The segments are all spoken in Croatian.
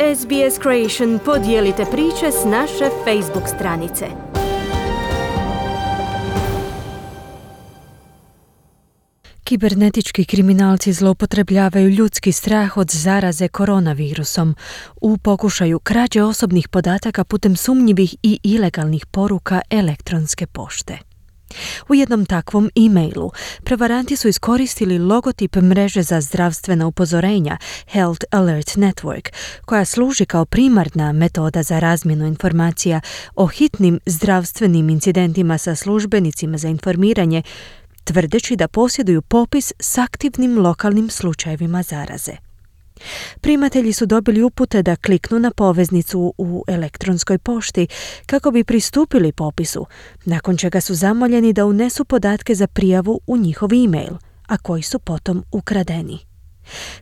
SBS Creation podijelite priče s naše Facebook stranice. Kibernetički kriminalci zloupotrebljavaju ljudski strah od zaraze koronavirusom u pokušaju krađe osobnih podataka putem sumnjivih i ilegalnih poruka elektronske pošte. U jednom takvom e-mailu prevaranti su iskoristili logotip mreže za zdravstvena upozorenja Health Alert Network, koja služi kao primarna metoda za razmjenu informacija o hitnim zdravstvenim incidentima sa službenicima za informiranje, tvrdeći da posjeduju popis s aktivnim lokalnim slučajevima zaraze. Primatelji su dobili upute da kliknu na poveznicu u elektronskoj pošti kako bi pristupili popisu, nakon čega su zamoljeni da unesu podatke za prijavu u njihov e-mail, a koji su potom ukradeni.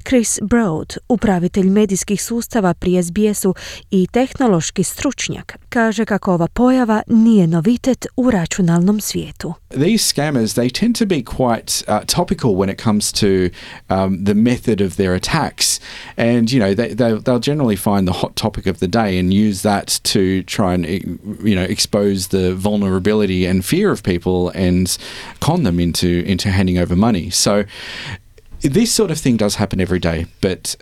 Chris Broad, upravitelj medijskih sustava pri SBS-u i tehnološki stručnjak, kaže kako ova pojava nije novitet u računalnom svijetu. These scammers, they tend to be quite topical when it comes to the method of their attacks. And, you know, they'll generally find the hot topic of the day and use that to try and, you know, expose the vulnerability and fear of people and con them into handing over money. So this sort of thing does happen every day, but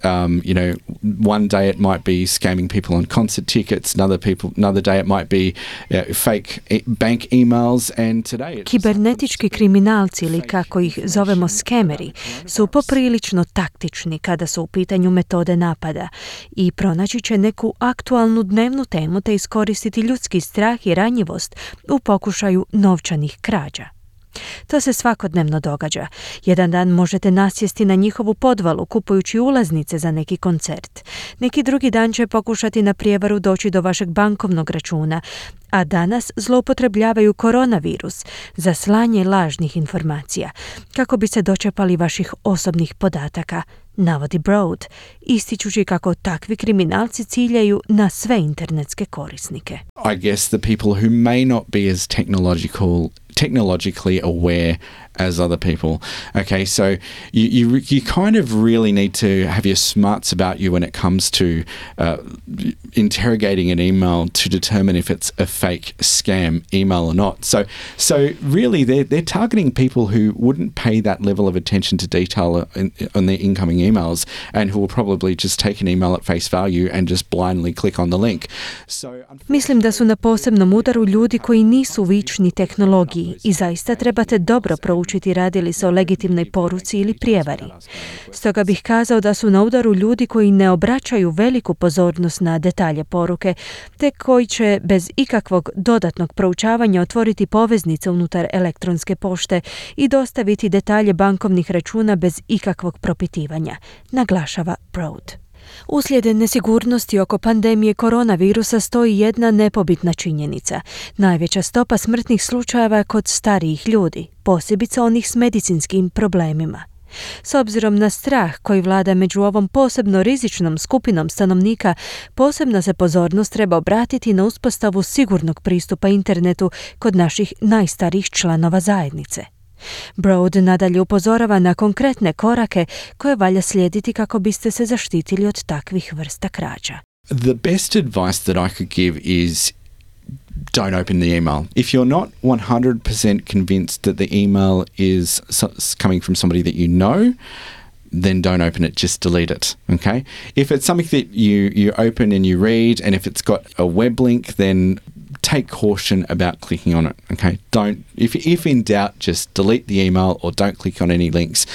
you know, one day it might be scamming people on concert tickets, another day it might be fake bank emails, and today Kibernetički kriminalci, ili kako ih zovemo skemeri, su poprilično taktični kada su u pitanju metode napada i pronaći će neku aktualnu dnevnu temu te iskoristiti ljudski strah i ranjivost u pokušaju novčanih krađa. To se svakodnevno događa. Jedan dan možete nasjesti na njihovu podvalu kupujući ulaznice za neki koncert. Neki drugi dan će pokušati na prijevaru doći do vašeg bankovnog računa, a danas zloupotrebljavaju koronavirus za slanje lažnih informacija kako bi se dočepali vaših osobnih podataka, navodi Broad, ističući kako takvi kriminalci ciljaju na sve internetske korisnike. I guess the people who may not be as technologically aware as other people. Okay, so you kind of really need to have your smarts about you when it comes to interrogating an email to determine if it's a fake scam email or not. So really they're targeting people who wouldn't pay that level of attention to detail on their incoming emails and who will probably just take an email at face value and just blindly click on the link. Mislim da su na posebnom udaru ljudi koji nisu vični tehnologiji i zaista trebate dobro proučiti radi li se o legitimnoj poruci ili prijevari. Stoga bih kazao da su na udaru ljudi koji ne obraćaju veliku pozornost na detalje poruke, te koji će bez ikakvog dodatnog proučavanja otvoriti poveznice unutar elektronske pošte i dostaviti detalje bankovnih računa bez ikakvog propitivanja, naglašava Broad. Uslijed nesigurnosti oko pandemije koronavirusa stoji jedna nepobitna činjenica. Najveća stopa smrtnih slučajeva je kod starijih ljudi, posebice onih s medicinskim problemima. S obzirom na strah koji vlada među ovom posebno rizičnom skupinom stanovnika, posebna se pozornost treba obratiti na uspostavu sigurnog pristupa internetu kod naših najstarijih članova zajednice. Broad nadalje upozorava na konkretne korake koje valja slijediti kako biste se zaštitili od takvih vrsta krađa. The best advice that I could give is don't open the email. If you're not 100% convinced that the email is coming from somebody that you know, then don't open it, just delete it, okay? If it's something that you open and you read, and if it's got a web link, then take caution about clicking on it, okay? If in doubt, just delete the email or don't click on any links.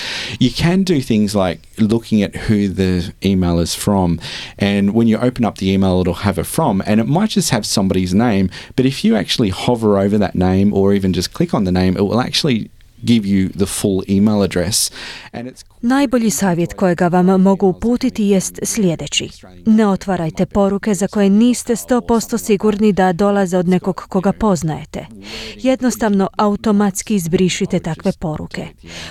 You can do things like looking at who the email is from, and when you open up the email, it'll have a from, and it might just have somebody's name, but if you actually hover over that name or even just click on the name, it will actually give you the full email address. And it's Najbolji savjet kojega vam mogu uputiti jest sljedeći. Ne otvarajte poruke za koje niste 100% sigurni da dolaze od nekog koga poznajete. Jednostavno automatski izbrišite takve poruke.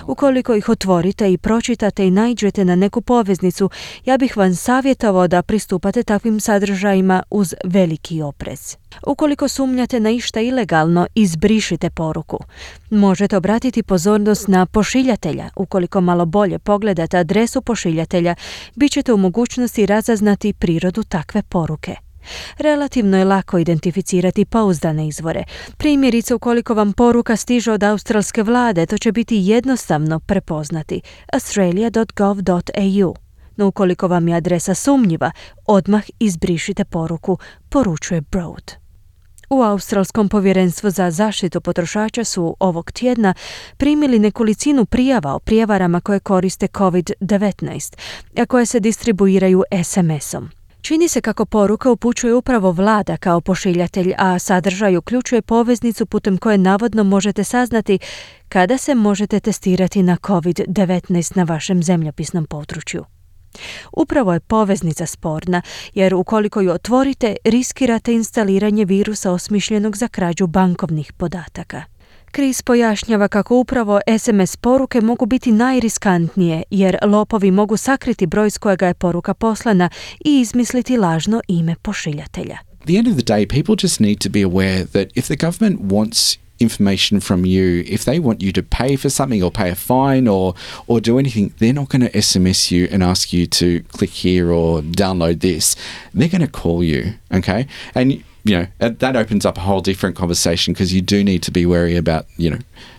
Ukoliko ih otvorite i pročitate i naiđete na neku poveznicu, ja bih vam savjetovao da pristupate takvim sadržajima uz veliki oprez. Ukoliko sumnjate na išta ilegalno, izbrišite poruku. Možete obratiti pozornost na pošiljatelja ukoliko malo bolje pogledate adresu pošiljatelja, bit ćete u mogućnosti razaznati prirodu takve poruke. Relativno je lako identificirati pouzdane izvore. Primjerice, ukoliko vam poruka stiže od australske vlade, to će biti jednostavno prepoznati australia.gov.au. No ukoliko vam je adresa sumnjiva, odmah izbrišite poruku, poručuje Broad. U Australskom povjerenstvu za zaštitu potrošača su ovog tjedna primili nekolicinu prijava o prijevarama koje koriste COVID-19, a koje se distribuiraju SMS-om. Čini se kako poruka upućuje upravo vlada kao pošiljatelj, a sadržaj uključuje poveznicu putem koje navodno možete saznati kada se možete testirati na COVID-19 na vašem zemljopisnom području. Upravo je poveznica sporna, jer ukoliko ju otvorite, riskirate instaliranje virusa osmišljenog za krađu bankovnih podataka. Chris pojašnjava kako upravo SMS poruke mogu biti najriskantnije, jer lopovi mogu sakriti broj s kojega je poruka poslana i izmisliti lažno ime pošiljatelja. At the end of the day, people just need to be aware that if the government wants information from you, if they want you to pay for something or pay a fine or do anything, they're not going to SMS you and ask you to click here or download this. They're going to call you, okay? And you know, that opens up a whole different conversation because you do need to be wary about,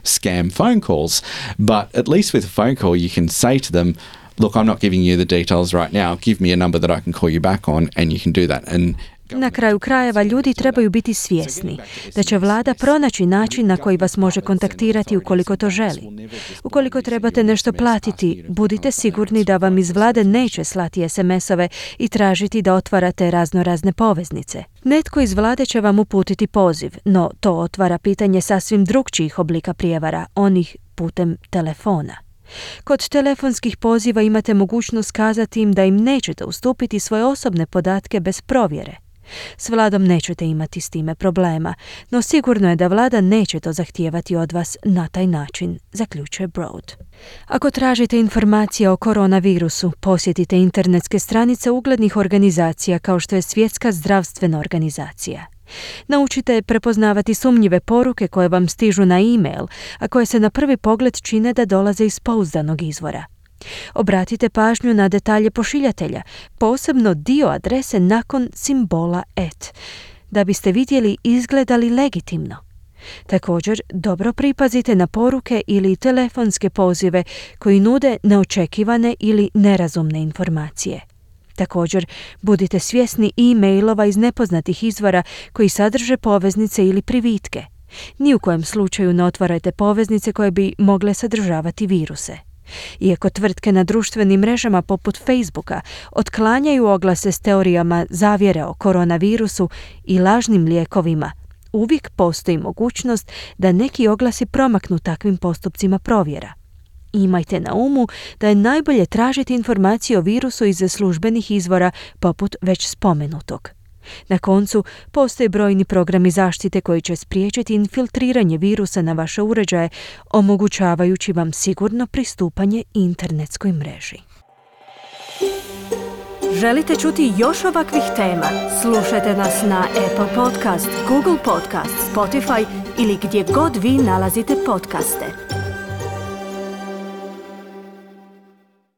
scam phone calls. But at least with a phone call, you can say to them, look, I'm not giving you the details right now. Give me a number that I can call you back on, and you can do that. And na kraju krajeva ljudi trebaju biti svjesni da će vlada pronaći način na koji vas može kontaktirati ukoliko to želi. Ukoliko trebate nešto platiti, budite sigurni da vam iz vlade neće slati SMS-ove i tražiti da otvarate raznorazne poveznice. Netko iz vlade će vam uputiti poziv, no to otvara pitanje sasvim drugčijih oblika prijevara, onih putem telefona. Kod telefonskih poziva imate mogućnost kazati im da im nećete ustupiti svoje osobne podatke bez provjere. S vladom nećete imati s time problema, no sigurno je da vlada neće to zahtijevati od vas na taj način, zaključuje Broad. Ako tražite informacije o koronavirusu, posjetite internetske stranice uglednih organizacija kao što je Svjetska zdravstvena organizacija. Naučite prepoznavati sumnjive poruke koje vam stižu na e-mail, a koje se na prvi pogled čine da dolaze iz pouzdanog izvora. Obratite pažnju na detalje pošiljatelja, posebno dio adrese nakon simbola @ da biste vidjeli izgleda li legitimno. Također, dobro pripazite na poruke ili telefonske pozive koji nude neočekivane ili nerazumne informacije. Također, budite svjesni e-mailova iz nepoznatih izvora koji sadrže poveznice ili privitke. Ni u kojem slučaju ne otvarajte poveznice koje bi mogle sadržavati viruse. Iako tvrtke na društvenim mrežama poput Facebooka otklanjaju oglase s teorijama zavjere o koronavirusu i lažnim lijekovima, uvijek postoji mogućnost da neki oglasi promaknu takvim postupcima provjera. Imajte na umu da je najbolje tražiti informacije o virusu iz službenih izvora poput već spomenutog. Na koncu, postoje brojni programi zaštite koji će spriječiti infiltriranje virusa na vaše uređaje, omogućavajući vam sigurno pristupanje internetskoj mreži. Želite čuti još ovakvih tema? Slušajte nas na Apple Podcast, Google Podcast, Spotify ili gdje god vi nalazite podcaste.